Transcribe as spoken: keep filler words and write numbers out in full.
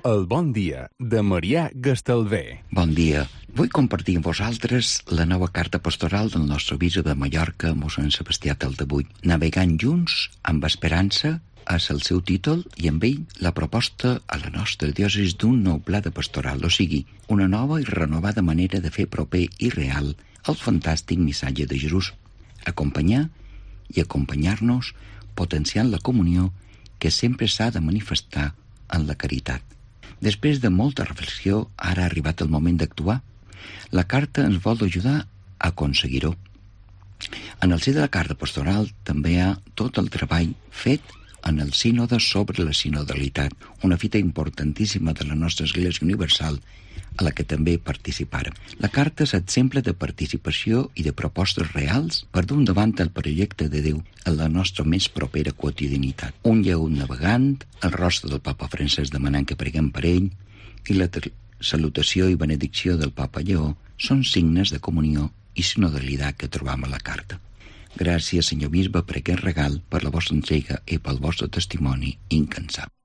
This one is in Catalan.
El bon dia de Marià Gastalver. Bon dia. Vull compartir amb vosaltres la nova carta pastoral del nostre bisbe de Mallorca, mossèn Sebastià Taldebull. Navegant junts amb esperança és el seu títol i amb ell la proposta a la nostra diòcesi d'un nou pla de pastoral, o sigui, una nova i renovada manera de fer proper i real el fantàstic missatge de Jesús. Acompanyar i acompanyar-nos potenciant la comunió que sempre s'ha de manifestar en la caritat. Després de molta reflexió, ara ha arribat el moment d'actuar. La carta ens vol ajudar a aconseguir-ho. En el si de la carta pastoral també hi ha tot el treball fet en el sínode sobre la sinodalitat, una fita importantíssima de la nostra Església Universal, a la que també participarem. La carta és exemple de participació i de propostes reals per dur endavant el projecte de Déu en la nostra més propera quotidianitat. Un lleut navegant, el rostre del papa Francesc demanant que preguem per ell i la salutació i benedicció del papa Lleó són signes de comunió i sinodalitat que trobam a la carta. Gràcies, senyor bisbe, per aquest regal, per la vostra entrega i pel vostre testimoni incansable.